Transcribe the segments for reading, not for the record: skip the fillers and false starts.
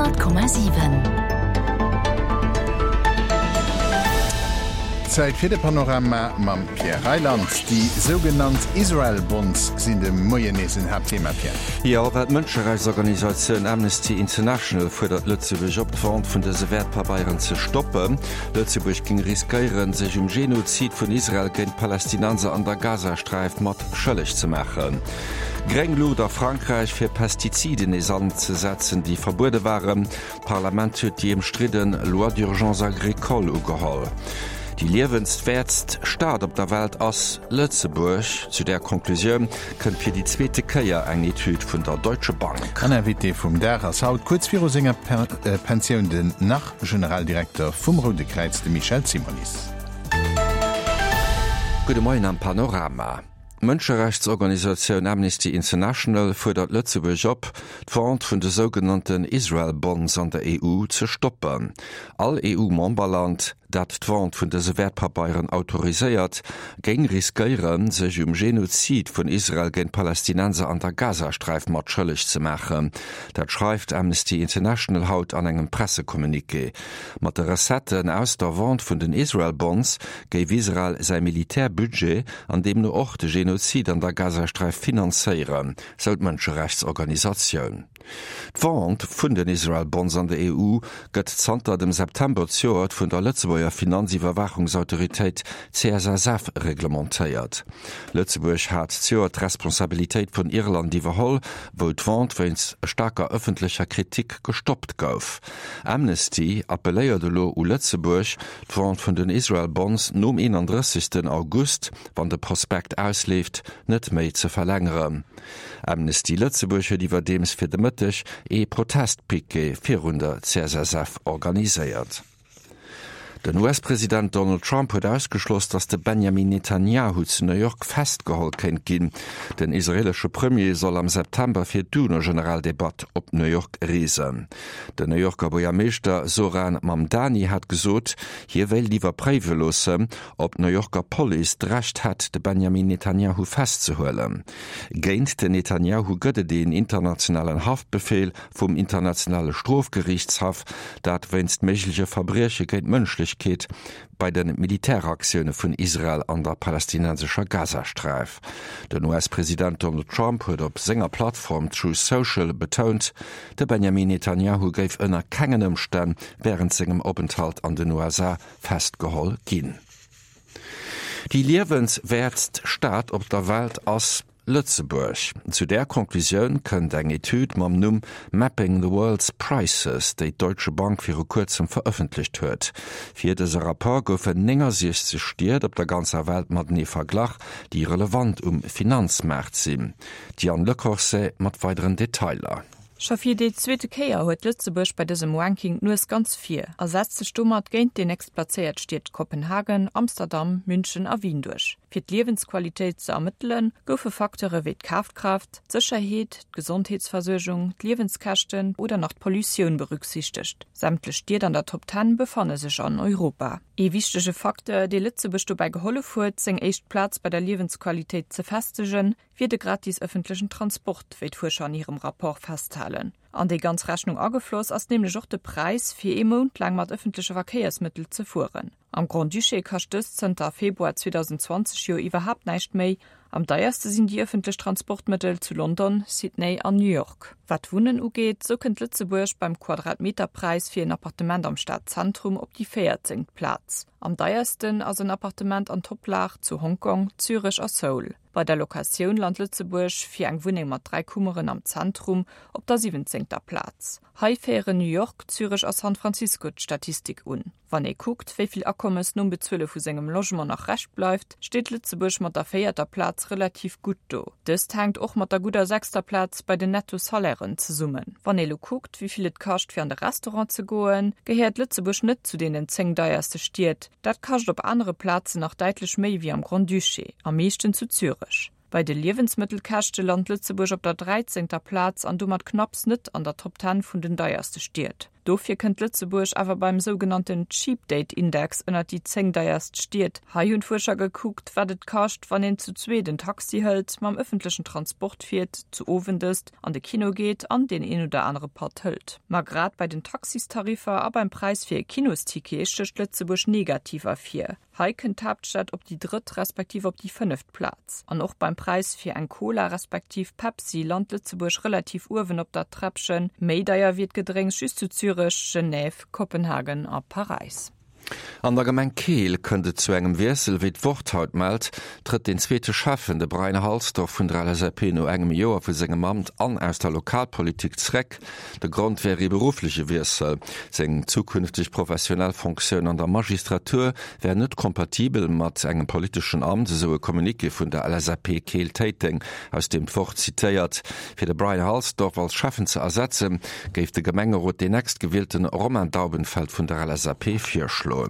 100,7. Zäit fir de Panorama mam Pierre Reyland. Déi sougenannt Israel Bonds sinn de Moien nees en Haaptthema, Pierre. Jo, well d'Mënscherechtsorganisatioun Amnesty International fuerdert Lëtzebuerg op, d'Vente vun dëse Wäertpabeieren ze stoppen. Lëtzebuerg géing riskéieren, sech um Genozid vun Israel géint d'Palästinenser an der Gazasträif mat schëlleg ze maachen. Gréng Luucht a Frankräich fir Pestiziden nees anzesetzen, déi verbuede waren. D'Parlament huet déi ëmstridde Loi d'urgence agricole ugeholl. Déi liewenswäertst Stad op der Welt ass Lëtzebuerg. Zu där Conclusioun kënnt fir déi zweete Kéier eng Etüd vun der Deutsche Bank. An Invité vum Dag ass haut, kuerz viru senger Pensioun, den Nach-Generaldirekter vum Roude Kräiz, de Michel Simonis. Gudde Moien am Panorama. D'Mënscherechtsorganisatioun Amnesty International fuerdert Lëtzebuerg op, d'Vente vun de sougenannten Israel Bonds an der EU ze stoppen. All EU-Memberland, dat d'Vente vun dëse Wäertpabeieren autoriséiert, géing riskéieren, sech um Genozid vun Israel géint Palästinenser an der Gazasträif mat schëlleg ze maachen. Dat schreift Amnesty International haut an engem Pressecommuniqué. Mat de Recetten aus der Vente vun den Israel Bonds géif Israel säi Militärbudget an deemno och de Genozid an der Gazasträif finanzéieren, sou d'Mënscherechtsorganisatioun. D'Vente vun den Israel Bonds an der EU gëtt zanter dem September zejoert vun der Lëtzebuerger Finanziwwerwaachungsautoritéit CSSF reglementéiert. Lëtzebuerg hat zejoert d'Responsabilitéit vun Irland iwwerholl, wou d'Vente wéinst staarker ëffentlecher Kritik gestoppt gouf. Amnesty appelléiert elo u Lëtzebuerg, d'Vente vun den Israel Bonds nom 31. August, wann de Prospekt ausleeft, net méi ze verlängeren. Amnesty Lëtzebuerg huet iwwerdeems fir de Mëtteg ee Protestpiquet virun der CSSF organiséiert. Den US-President Donald Trump huet ausgeschloss, datt de Benjamin Netanjahu zu New York festgeholl kéint ginn. Den israeelesche Premier soll am September fir d'UNO-Generaldebatt op New York reesen. Den New Yorker Buergermeeschter Zohran Mamdani hat gesot, hie wéilt iwwerpréiwe loossen, ob d'New Yorker Police d'Recht hätt, de Benjamin Netanjahu festzehuelen. Géint den Netanjahu gëtt et een internationalen Haftbefeel vum Internationale Strofgeriichtshaff, dat wéinst méigleche Verbrieche géint d'Mënschlechkeet bei de Militäraktioune vun Israel an der palästinensescher Gazasträif. Den US-President Donald Trump huet op senger Plattform Truth Social betount, de Benjamin Netanjahu géif ënner kengen Ëmstänn wärend sengem Openthalt an den USA festgeholl ginn. Déi liewenswäertst Stad op der Welt ass Lëtzebuerg. Zu där Conclusioun kënnt eng Etüd mam Numm Mapping the World's Prices, déi d'Deutsche Bank viru kuerzem verëffentlecht huet. Fir dëse Rapport goufen 69 Stied op der ganzer Welt matenee verglach, déi relevant um Finanzmaart sinn. D'Diane Lecorset mat weideren Detailer. Scho fir déi zweete Kéier huet Lëtzebuerg bei dësem Ranking d'Nues ganz vir a setzt sech domat géint déi nächstplazéiert Stied Kopenhagen, Amsterdam, München a Wien duerch. Fir d'Liewensqualitéit ze ermëttelen, goufe Facteure wéi d'Kafkraaft, d'Sécherheet, d'Gesondheetsversuergung, d'Liewenskäschten oder nach d'Pollutioun berücksichtegt. Sämtlech Stied an der Top Ten befanne sech an Europa. Ee wichtege Facteur, dee Lëtzebuerg dobäi gehollef huet, seng éischt Plaz bei der Liewensqualitéit ze festegen, wier de gratis ëffentlechen Transport, wéi d'Fuerscher an hirem Rapport festhalen. An déi ganz Rechnung agefloss ass nämlech och de Präis, fir ee Mount laang mat ëffentleche Verkéiersmëttel ze fueren. Am Grand-Duché kascht dëst zënter Februar 2020 jo iwwerhaapt näischt méi. Am deierste sinn déi ëffentlech Transportmëttel zu London, Sydney an New York. Wat d'Wunnen ugeet, sou kënnt Lëtzebuerg beim Quadratmeterpräis fir en Appartement am Stadzentrum op déi véierzéngt Plaz. Am deiersten ass en Appartement an Toplag zu Hongkong, Zürech a Seoul. Bei der Locatioun lant Lëtzebuerg fir eng Wunneng mat 3 Kummeren am Zentrum op der siwwenzéngter Plaz. Hei féieren New York, Zürech a San Francisco d'Statistik un. Wann ee kuckt, wéi vill Akommes nom Bezuele vu sengem Logement nach Rescht bleift, steet Lëtzebuerg mat der véierter Plaz relativ gutt do. Dëst hänkt och mat der gudder sechster Plaz bei den Netto-Salairen zesummen. Wann ee lo kuckt, wéi vill et kascht fir an de Restaurant ze goen, gehéiert Lëtzebuerg net zu deenen 10 deierste Stied. Dat kascht op anere Plazen nach däitlech méi wéi am Grand-Duché, am meeschten zu Zürech. Bei de Liewensmëttelkäschte lant Lëtzebuerg op der dräizéngter Plaz an domat knapps net an der Top Ten vun den deierste Stied. Dofir kënnt Lëtzebuerg awer beim sougenannten Cheap Date Index ënnert déi 10 deierst Stied. Hei hunn d'Fuerscher gekuckt, wat et kascht, wann een zu zweet en Taxi hëlt, mam ëffentlechen Transport fiert, zu Owend ësst, an de Kino geet an deen een oder anere Patt hëlt. Ma grad bei den Taxistariffer a beim Präis fir e Kinosticket stécht Lëtzebuerg negativ ervir. Hei kënnt d'Haaptstad op déi drëtt respektiv op déi fënneft Plaz. An och beim Präis fir eng Cola respektiv Pepsi lant Lëtzebuerg relativ uewen op der Träppchen. Méi deier wier d'Gedrénks just zu Zürech, Genève, Kopenhagen a Paräis. An der Gemeng Keel kënnt et zu engem Wiessel. Wéi d'Wort haut mellt, trëtt den zweete Schäffen, de Brian Halsdorf vun der LSAP, no engem Joer vu sengem Amt an aus der Lokalpolitik zréck. De Grond wär ee beruffleche Wiessel. Seng zukünfteg professionell Fonctioun an der Magistratur wär net kompatibel mat engem politeschen Amt, esou e Communiqué vun der LSAP Keel-Téiteng, aus deem d'Wort zitéiert. Fir de Brian Halsdorf als Schäffen ze ersetzen, géif de Gemengerot deen nächstgewielten Romain Daubenfeld vun der LSAP virschloen.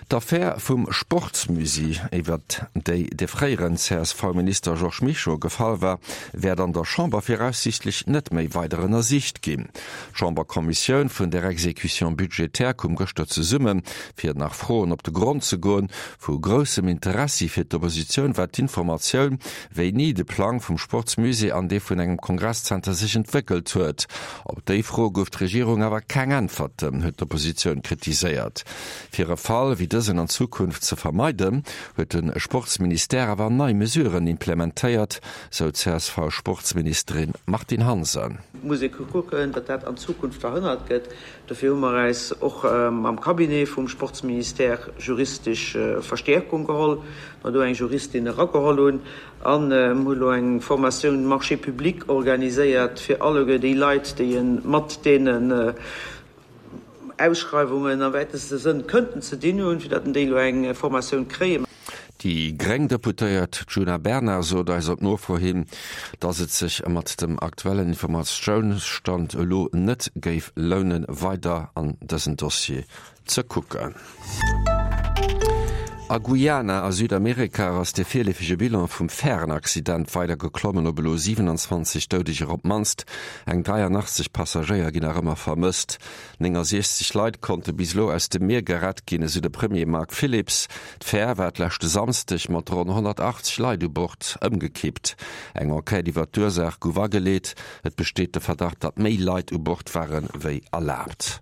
D'Affär vum Sportsmusée, iwwert déi de fréieren CSV-Minister Georges Mischo gefall war, wäert an der Chamber viraussiichtlech net méi weider ënnersicht ginn. D'Chamberkommissioun vun der Exécution budgétaire koum gëschter zesummen, fir nach Froen op de Grond ze goen. Vu groussem Interessi fir d'Oppositioun war d'Informatioun, wéini de Plang vum Sportsmusée an dee vun engem Kongresszenter sech entwéckelt huet. Op déi Fro gouf d'Regierung awer keng Äntwerten, huet d'Oppositioun kritiséiert. Fir e Fall wéi dësen an Zukunft ze vermeiden, huet de Sportsministère awer nei Mesuren implementéiert, sou d'CSV-Sportsministerin Martine Hansen. Et muss ee kucken, datt dat an Zukunft verhënnert gëtt. Dofir hu mer äis och mam Cabinet vum Sportsministère juristesch Verstäerkung geholl, mer do eng Juristin erageholl hunn an hu elo eng Formatioun Marchés publics organiséiert fir alleguer déi Leit, déi e mat deenen Ausschreiwungen am wäiteste Sënn kënnten ze dinn hunn, fir datt déi elo eng Formatioun kréien. Déi gréng Deputéiert Djuna Bernard sot eis op Nofro hin, datt et sech mat dem aktuellen Informatiounsstand elo net géif lounen, weider an dësen Dossier ze kucken. A Guyana a Südamerika ass de virleefege Bilan vum Färenaccident weider geklommen op elo 27 Doudeger op d'mannst. Eng 83 Passagéier ginn nach ëmmer vermësst. 69 Leit konnte bis elo aus dem Mier gerett ginn, esou de Premier Mark Phillips. D'Fär war d'leschte Samsdeg mat ronn 180 Leit u Bord ëmgekippt. Eng Enquête iwwer d'Ursaach gouf ageleet. Et besteet de Verdacht, datt méi Leit u Bord ware wéi erlaabt.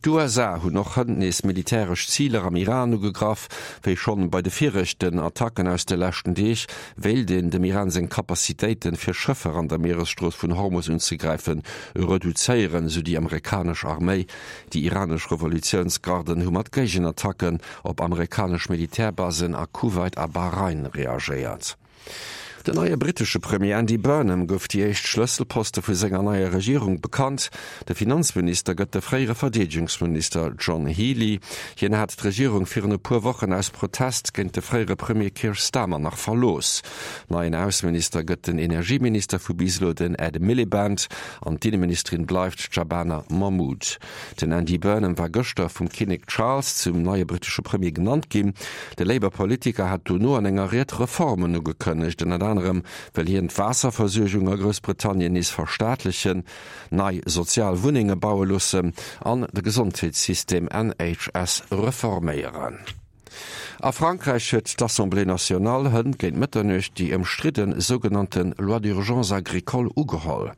D'USA hunn och hënt nees militäresch Ziler am Iran ugegraff. Wéi schonn bei de viregten Attacken aus de leschten Deeg, wéilt een dem Iran seng Capacitéiten, fir Schëffer an der Mieresstrooss vun Hormus unzegräifen, reduzéieren, esou déi amerikanesch Arméi. Déi iranesch Revolutiounsgarden hu mat Géigenattacken op amerikanesch Militärbasen a Kuwait a Bahrain reagéiert. Den neie brittesche Premier Andy Burnham gouf déi éischt Schlësselposte vu senger neier Regierung bekannt. De Finanzminister gëtt de fréiere Verdeedegungsminister John Healey. Hien hat d'Regierung virun e puer Wochen aus Protest géint de fréiere Premier Keir Starmer nach verlooss. Neien Ausseminister gëtt den Energieminister vu bis elo, den Ed Miliband, an d'Inneministerin bleift d'Shabana Mahmood. Den Andy Burnham war gëschter vum Kinnek Charles zum neie brittesche Premier genannt ginn. De Labour-Politiker hat dono an enger Ried Reformen ugekënnegt. Ënnert anerem wëll hien d'Waasserversuergung a Groussbritannien nees verstaatlechen, nei sozial Wunnenge baue loossen an de Gesondheetssystem NHS reforméieren. A Frankräich huet d'Assemblée nationale hënt géint Mëtternuecht déi ëmstridde sougenannte Loi d'urgence agricole ugeholl.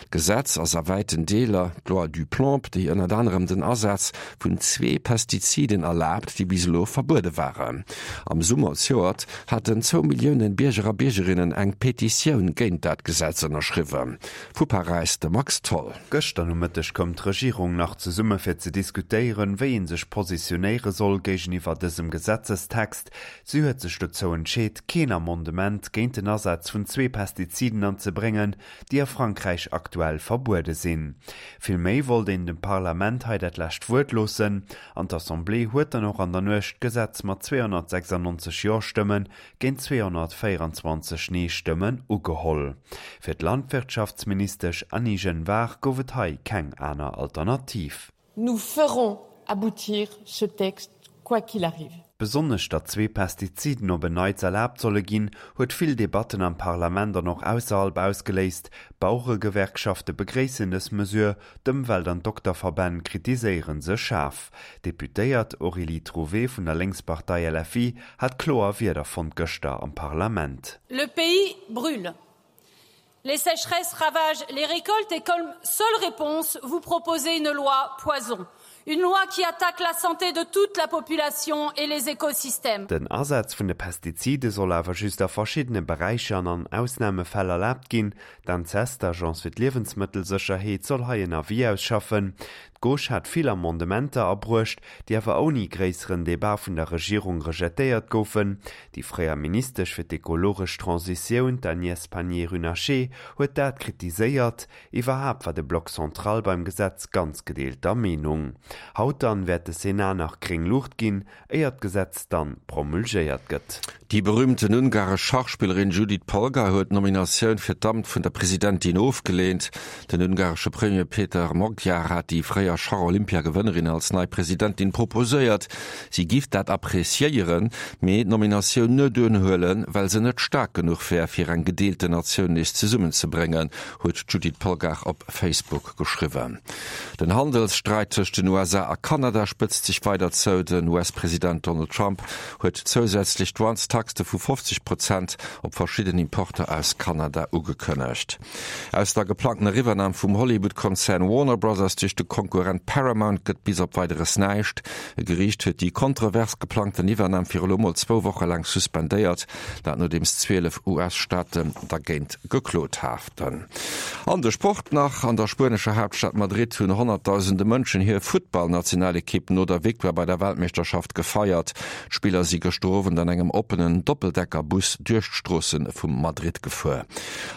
D'Gesetz ass a wäiten Deeler d'Loi Duplomb, déi ënnert anerem den Asaz vun zwee Pestiziden erlaabt, déi bis elo verbuede waren. Am Summer zejoert haten zwou Millioune Bierger a Biergerinnen eng Petitioun géint dat Gesetz ënnerschriwwen. Vu Paräis de Max Tholl. Gëschter Nomëtteg koum d'Regierung nach zesumme fir ze diskutéieren, wéi ee sech positionéiere soll géigeniwwer dësem Gesetzestext. Si huet sech dozou entscheet, keen Amendement géint den Asaz vun zwee Pestiziden anzebréngen, déi a Frankräich aktuell verbuede sinn. Villméi wollt een dem Parlament hei dat lescht Wuert loossen. An d'Assemblée huet dann och an der Nuecht d'Gesetz mat 296 Jo-Stëmmen géint 224 Nee-Stëmmen ugeholl. Fir d'Landwirtschaftsministesch Annie Genevard gouf et hei keng aner Alternativ. Nous ferons aboutir ce texte quoi qu'il arrive. Besonnesch datt zwee Pestiziden op en Neits erlaabt solle ginn, huet vill Debatten am Parlament an och ausserhalb ausgeléist. D'Baueregewerkschafte begréissen dës Mesure, d'Ëmwelt an d'Dokterverbänn kritiséiere se schaarf. D'Deputéiert Aurélie Trouvé vun der Lénkspartei LFI hat kloer Wierder fonnt gëschter am Parlament. Le pays brûle. Les sécheresses ravagent les récoltes et comme seule réponse, vous proposez une loi poison. Une loi qui attaque la santé de toute la population et les écosystèmes. Den Asaz vun de Pestizide soll awer just a verschiddene Beräicher an an Ausnamefäll erlaabt ginn. D'ANSES, d'Agence fir d'Liewensmëttelsécherheet, soll hei en Avis ausschaffen. D'Gauche hat vill Amendementer abruecht, déi awer ouni gréisseren Debat vun der Regierung rejetéiert goufen. Déi fréier Ministesch fir d'ekologesch Transitioun, d'Agnès Pannier-Runacher, huet dat kritiséiert. Iwwerhaapt war de Bloc central beim Gesetz ganz gedeelter Meenung. Haut dann wäert de Sénat nach gréng Luucht ginn, éier d'Gesetz dann promulgéiert gëtt. Déi berüümten ungaresch Schachspillerin Judit Polgar huet d'Nominatioun fir d'Amt vun der Presidentin ofgeleent. Den ungaresche Premier Péter Magyar hat déi fréier Schach-Olympiagewënnerin als nei Presidentin proposéiert. Si giff dat appreciéieren, mee d'Nominatioun net unhuelen, well se net staark genuch wär, fir eng gedeelten Natioun nees zesummenzebréngen, huet d'Judit Polgar op Facebook geschriwwen. Den Handelssträit tëscht den USA a Kanada spëtzt sech weider zou. Den US-President Donald Trump huet zousätzlech Douanestaxe vu 50 Prozent op verschidden Importer aus Kanada ugekënnegt. Aus der geplangtener Iwwernam vum Hollywood-Konzern Warner Brothers duerch de Konkurrent Paramount gëtt bis op Weideres näischt. E Geriicht huet déi kontrovers geplangten Iwwernam fir elo mol zwou Woche laang suspendéiert, dat nodeems 12 US-Staaten dergéint geklot haten. An de Sport nach, An der spuenescher Haaptstad Madrid hunn honnertdausende Mënschen hir Futtballnationalekipp no der Victoire bei der Weltmeeschterschaft gefeiert. D'Spiller si gëschter Owend an engem oppenen Doppeldeckerbus duerch d'Stroosse vu Madrid gefuer.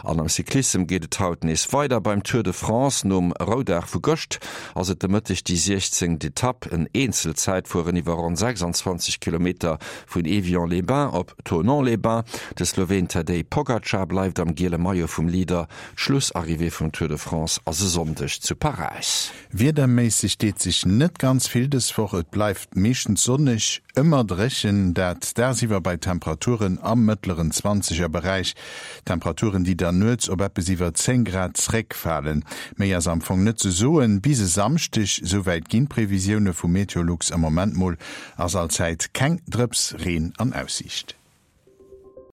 An am Cyclissem geet et haut nees weider beim Tour de France. Nom Roudag vu gëscht ass et de Mëtteg déi 16. Etapp, en Eenzelzäitfueren iwwer ronn 26 Kilometer vun Évian-les-Bains op Thonon-les-Bains. De Sloween Tadej Pogacar bleift am giele Maillot vum Leader. D'Schlussarrivée vum Tour de France ass e Sonndeg zu Paräis. Wiederméisseg deet sech net ganz vill dës Woch, et bleift meeschtens sonneg, ëmmer dréchen, dat dagsiwwer bei Temperaturen am mëttleren Zwanzegerberäich. Temperaturen, déi dann nuets op eppes iwwer 10 Grad zréckfalen. Méi ass am Fong net ze soen bis e Samschdeg, souwäit ginn d'Previsioune vu Meteolux am Moment mol. Ass allzäit keng Drëps Reen an Aussiicht.